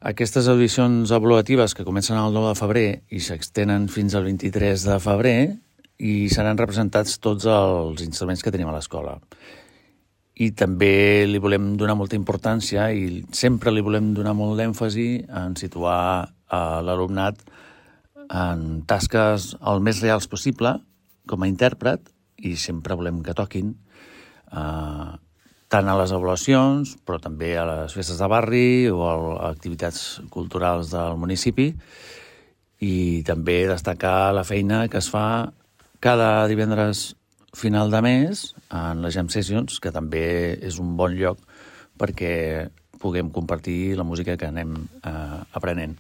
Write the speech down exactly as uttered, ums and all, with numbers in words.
Aquestes audicions avaluatives que comencen el nou de febrer i s'extenen fins al vint-i-tres de febrer i seran representats tots els instruments que tenim a l'escola. I també li volem donar molta importància i sempre li volem donar molt d'èmfasi en situar a l'alumnat en tasques el més reals possible com a intèrpret i sempre volem que toquin eh, tant a les avaluacions, però també a les festes de barri o a activitats culturals del municipi, i també destacar la feina que es fa cada divendres final de mes en les Jam Sessions, que també és un bon lloc perquè puguem compartir la música que anem eh, aprenent.